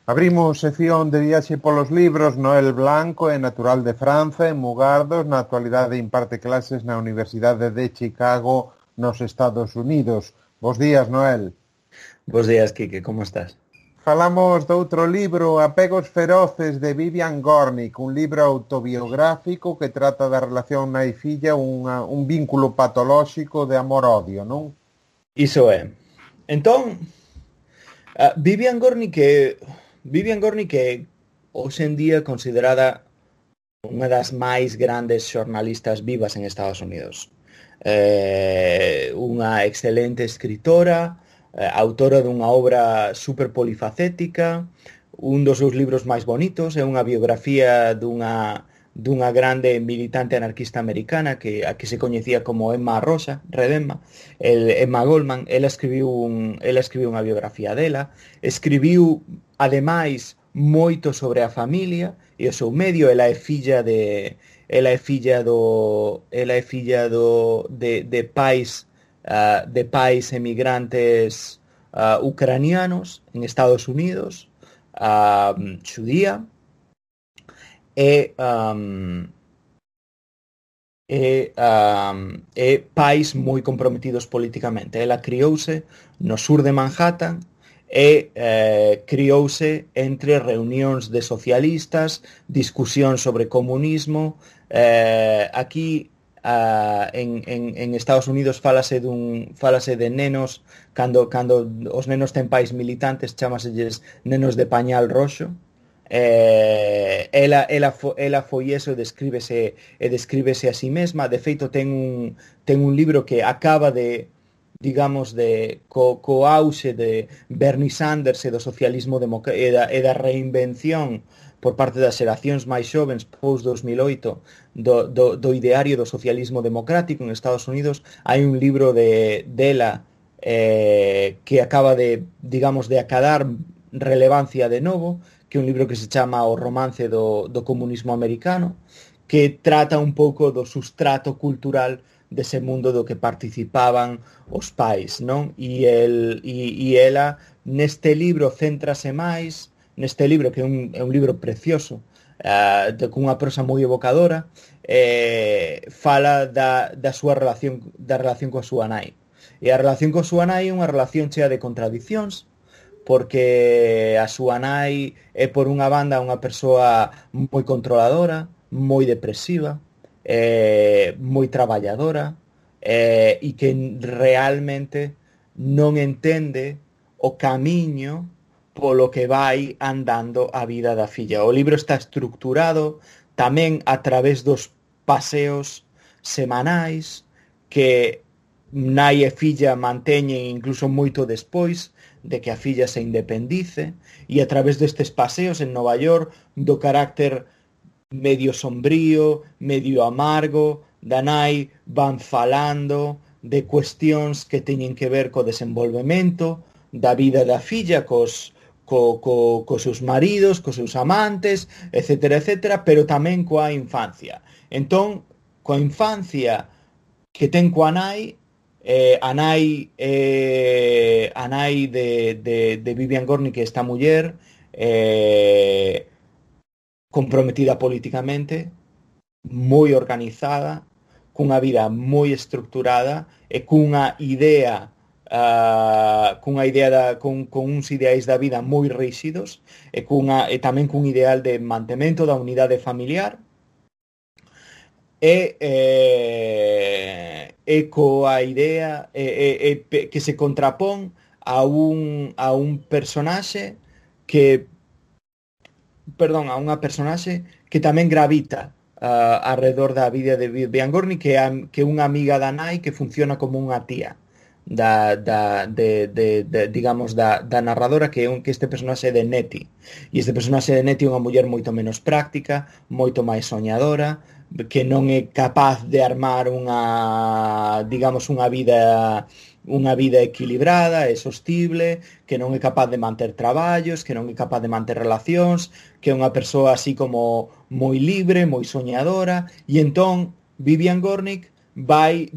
Abrimos sección de viaxe polos libros. Noel Blanco é natural de Franza, en Mugardos. Na actualidade imparte clases na Universidade de Chicago, nos Estados Unidos. Bos días, Noel. Bos días, Quique, como estás? Falamos de outro libro, Apegos feroces, de Vivian Gornick, un libro autobiográfico que trata da relación nai filla, un vínculo patolóxico de amor-odio, non? Iso é. Entón, Vivian Gornick é hoxe en día considerada unha das máis grandes xornalistas vivas en Estados Unidos. Unha excelente escritora, autora dunha obra super polifacética, un dos seus libros máis bonitos é unha biografía dunha grande militante anarquista americana a que se coñecía como Emma Rosa, Red Emma, Emma Goldman. Ela escribiu unha biografía dela, escribiu ademais moito sobre a familia e o seu medio. Ela é filla de pais emigrantes ucranianos en Estados Unidos, xudía, e pais moi comprometidos políticamente. Ela criouse no sur de Manhattan e criouse entre reunións de socialistas, discusións sobre comunismo. Aquí en Estados Unidos falase de nenos, cando os nenos ten pais militantes, chamaselles nenos de pañal roxo. Ela foi eso e descríbese a si mesma. De feito, ten un libro que acaba de, digamos, co auxe de Bernie Sanders e do socialismo e da reinvención por parte das xeracións máis xovens post 2008 do ideario do socialismo democrático en Estados Unidos. Hai un libro dela que acaba de, digamos, de acadar relevancia de novo, que é un libro que se chama O romance do comunismo americano, que trata un pouco do sustrato cultural dese mundo do que participaban os pais, non? E ela neste libro céntrase máis, neste libro que é un libro precioso, cunha prosa moi evocadora, fala da súa relación coa súa nai. E a relación coa súa nai é unha relación chea de contradicións, porque a súa nai é, por unha banda, unha persoa moi controladora, moi depresiva, moi traballadora, e que realmente non entende o camiño polo que vai andando a vida da filla. O libro está estructurado tamén a través dos paseos semanais que nai e filla manteñen incluso moito despois de que a filla se independice, e a través destes paseos en Nova York, do carácter medio sombrío, medio amargo da nai, van falando de cuestións que teñen que ver co desenvolvemento da vida da filla, cos seus maridos, cos seus amantes, etcétera, etcétera, pero tamén coa infancia. Entón, coa infancia que ten coa nai, a nai de Vivian Gornick, esta muller comprometida políticamente, moi organizada, cunha vida moi estructurada e cunha idea con uns ideais da vida moi rígidos, e tamén cun ideal de mantemento da unidade familiar, e coa idea que se contrapón a un personaxe a unha personaxe que tamén gravita alrededor da vida de Vivian Gornick, que é unha amiga da nai que funciona como unha tía digamos da narradora, que este personaxe de Nettie. E este personaxe de Nettie é unha muller moito menos práctica, moito máis soñadora, que non é capaz de armar unha vida equilibrada e sostible, que non é capaz de manter traballos, que non é capaz de manter relacións, que é unha persoa así como moi libre, moi soñadora. E entón Vivian Gornick vai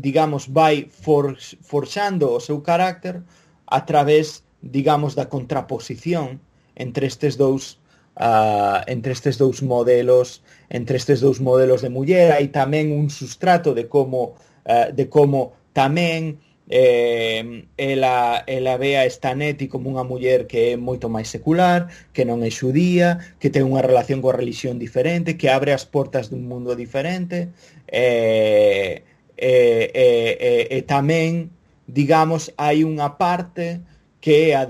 forxando o seu carácter a través, digamos, da contraposición entre estes dous modelos de muller. Hai tamén un sustrato de como tamén ela ve a Stanetti como unha muller que é moito máis secular, que non é xudía, que ten unha relación coa religión diferente, que abre as portas dun mundo diferente, e tamén, digamos, hai unha parte que é a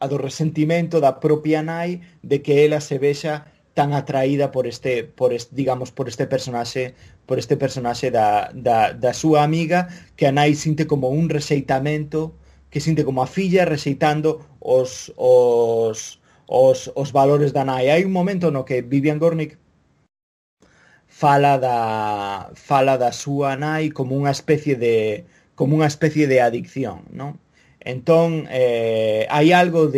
do resentimento da propia nai de que ela se vexa tan atraída digamos, por este personaxe da súa amiga, que a nai sinte como un rexeitamento, que sinte como a filla rexeitando os valores da nai. Hai un momento no que Vivian Gornick fala da súa nai como unha especie de adicción, non? Entón, hai algo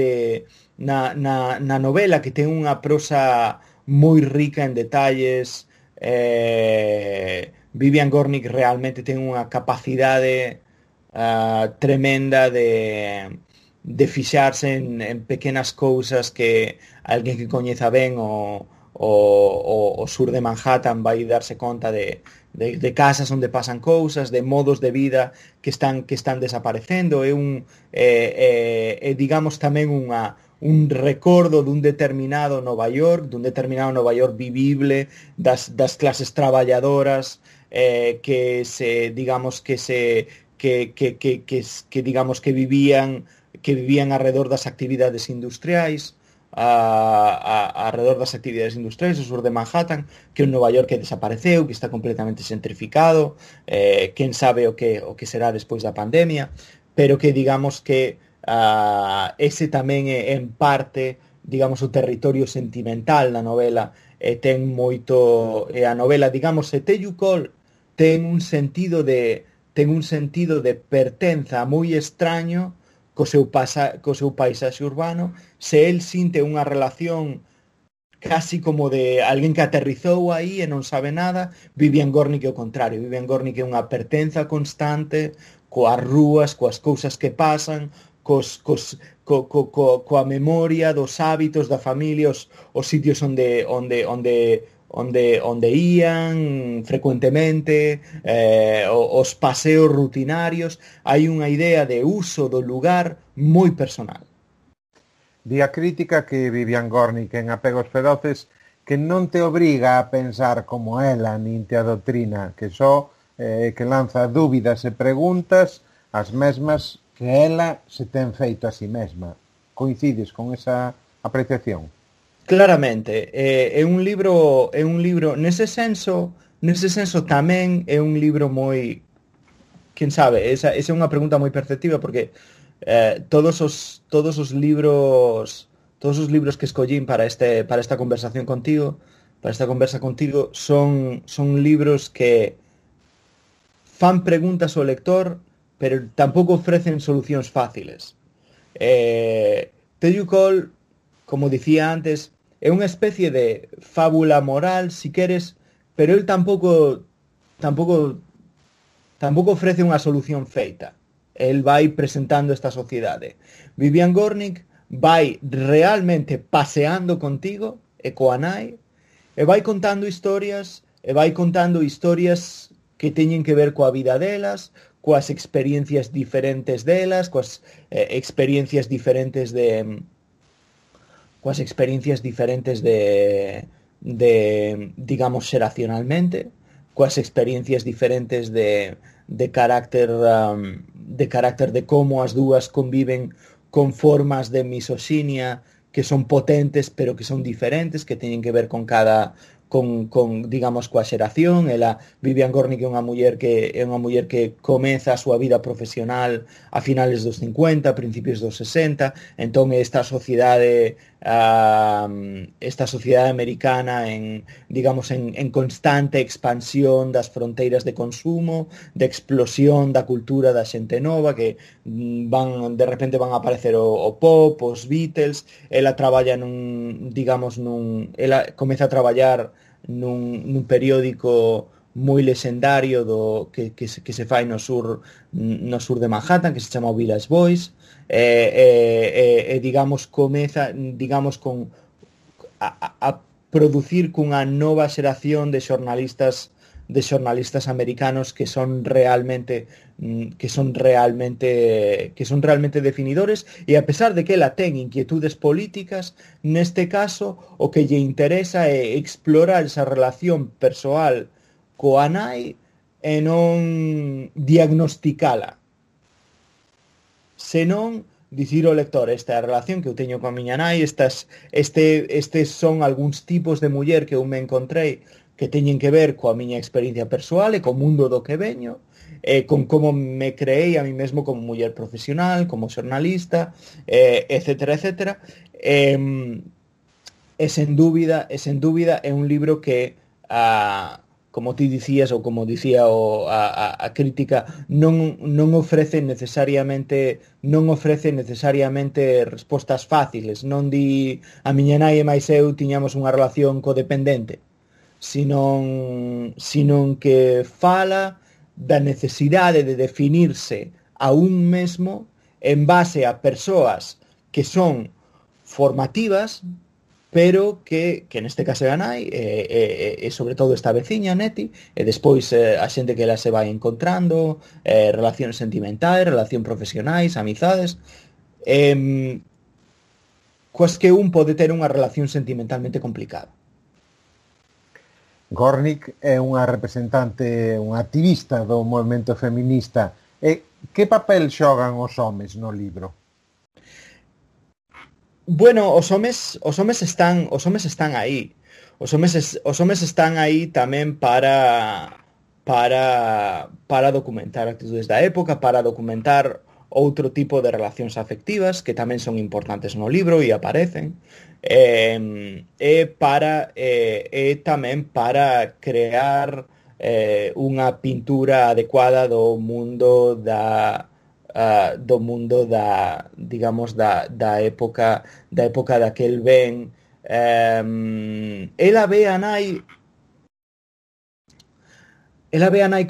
na novela que ten unha prosa moi rica en detalles. Vivian Gornick realmente ten unha capacidade tremenda de fixarse en pequenas cousas que alguén que coñeza ben o sur de Manhattan vai darse conta de casas onde pasan cousas, de modos de vida que están desaparecendo. Digamos tamén un recordo dun determinado Nova York vivible, das clases traballadoras, que digamos que vivían alrededor das actividades industriais, alrededor das actividades industriais, o sur de Manhattan, que é un Nova York que desapareceu, que está completamente xentrificado, quen sabe o que será despois da pandemia, pero que digamos que ese tamén é en parte, digamos, o territorio sentimental da novela, ten moito, a novela, digamos, se Tellu Cole ten un sentido de pertenza moi extraño co seu paisaxe urbano. Se el sinte unha relación casi como de alguén que aterrizou aí e non sabe nada, Vivian Gornick é o contrario. Vivian Gornick é unha pertenza constante coas rúas, coas cousas que pasan, coa memoria dos hábitos da familia, os sitios onde ían frecuentemente, os paseos rutinarios. Hai unha idea de uso do lugar moi personal. Di a crítica que Vivian Gornick en Apegos Feroces que non te obriga a pensar como ela, nin te adoctrina, que só que lanza dúbidas e preguntas as mesmas que ela se ten feito a si mesma. Coincides con esa apreciación? Claramente, é un libro nese senso tamén é un libro moi, quen sabe, esa é unha pregunta moi perceptiva, porque todos os libros que escollín para esta conversa contigo son libros que fan preguntas ao lector, pero tampouco ofrecen solucións fáciles. Tellu Cole, como dicía antes, é unha especie de fábula moral, si queres, pero el tampouco ofrece unha solución feita. El vai presentando esta sociedade. Vivian Gornick vai realmente paseando contigo e coa nai, e vai contando historias que teñen que ver coa vida delas, coas experiencias diferentes delas, coas experiencias diferentes de digamos, xeracionalmente, coas experiencias diferentes de carácter de como as dúas conviven con formas de misoxinia que son potentes pero que son diferentes, que teñen que ver con digamos, coa xeración. Vivian Gornick é unha muller que comeza a súa vida profesional a finales dos 50, a principios dos 60, entón esta sociedade americana digamos, en constante expansión das fronteiras de consumo, de explosión da cultura da xente nova, que de repente van a aparecer o pop, os Beatles. Ela comeza a traballar nun periódico moi lexendario que se fai no sur de Manhattan, que se chama o Village Voice, digamos comeza, digamos, con a producir cunha nova xeración de xornalistas americanos que son realmente definidores, e a pesar de que ela ten inquietudes políticas, neste caso o que lle interesa é explorar esa relación persoal coa nai e non diagnosticala, senón dicir ao lector: esta é a relación que eu teño coa miña nai, estes son algúns tipos de muller que eu me encontrei que teñen que ver coa miña experiencia persoal e co mundo do que veño, con como me creei a mí mesmo como muller profesional, como xornalista, etcétera, etcétera. E sen dúbida é un libro que, como ti dicías, ou como dicía a crítica, non ofrece necesariamente respostas fáciles. Non di a miña nai e máis eu tiñamos unha relación codependente, senón que fala da necesidade de definirse a un mesmo en base a persoas que son formativas, pero que neste caso é a nai, e sobre todo esta veciña, Neti, e despois a xente que ela se vai encontrando, relacións sentimentais, relacións profesionais, amizades, coas que un pode ter unha relación sentimentalmente complicada. Gornick é unha representante, unha activista do movemento feminista. Que papel xogan os homes no libro? Bueno, os homes están aí. Os homes están aí tamén para documentar actitudes da época, para documentar outro tipo de relacións afectivas que tamén son importantes no libro e aparecen, e tamén para crear unha pintura adecuada do mundo da digamos da época daquel ben. Ela ve a nai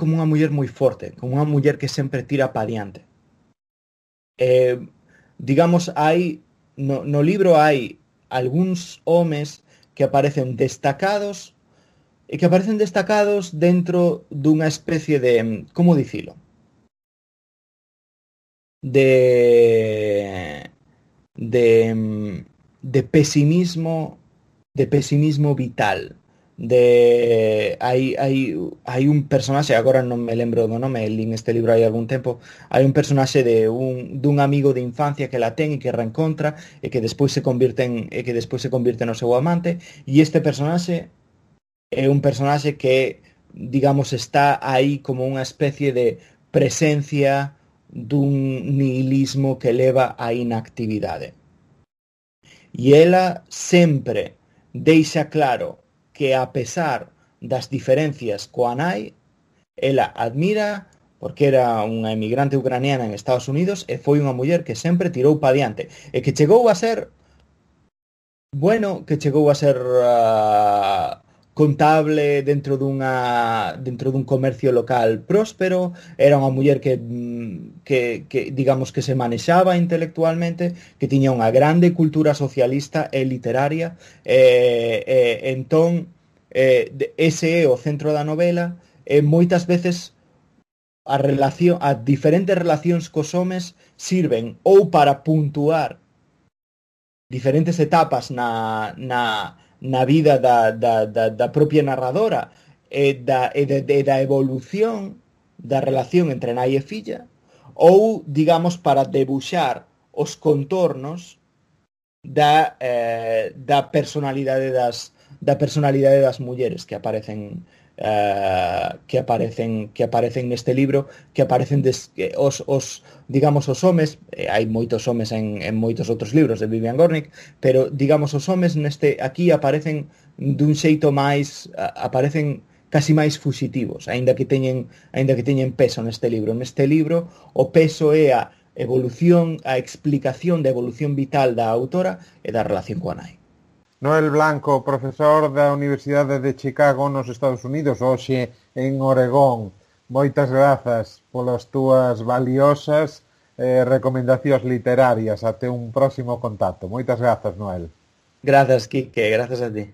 como unha muller moi forte, como unha muller que sempre tira pa diante. Digamos, no libro hai algúns homes que aparecen destacados dentro dunha especie de, como dicilo, de pesimismo vital. Hai un personaxe, agora non me lembro do nome, lín este libro hai algún tempo, hai un personaxe dun amigo de infancia que la ten e que reencontra e que despois se convirte no seu amante, e este personaxe é un personaxe que, digamos, está aí como unha especie de presencia dun nihilismo que leva á inactividade. E ela sempre deixa claro que, a pesar das diferencias coa nai, ela admira, porque era unha emigrante ucraniana en Estados Unidos e foi unha muller que sempre tirou pa diante e que chegou a ser contable dentro dun comercio local próspero. Era unha muller que digamos que se manexaba intelectualmente, que tiña unha grande cultura socialista e literaria, entón ese é o centro da novela, e moitas veces as diferentes relacións cos homes sirven ou para puntuar diferentes etapas na vida da propia narradora e da evolución da relación entre nai e filla, ou, digamos, para debuxar os contornos da personalidade das mulleres que aparecen neste libro, que aparecen digamos, os homes. Hai moitos homes en moitos outros libros de Vivian Gornick, pero, digamos, os homes aquí aparecen dun xeito máis, aparecen casi máis fuxitivos, aínda que teñen peso neste libro. Neste libro o peso é a explicación da evolución vital da autora e da relación coa nai. Noel Blanco, profesor da Universidade de Chicago nos Estados Unidos, hoxe en Oregón. Moitas grazas polas túas valiosas recomendacións literarias. Até un próximo contacto. Moitas grazas, Noel. Grazas, Quique, grazas a ti.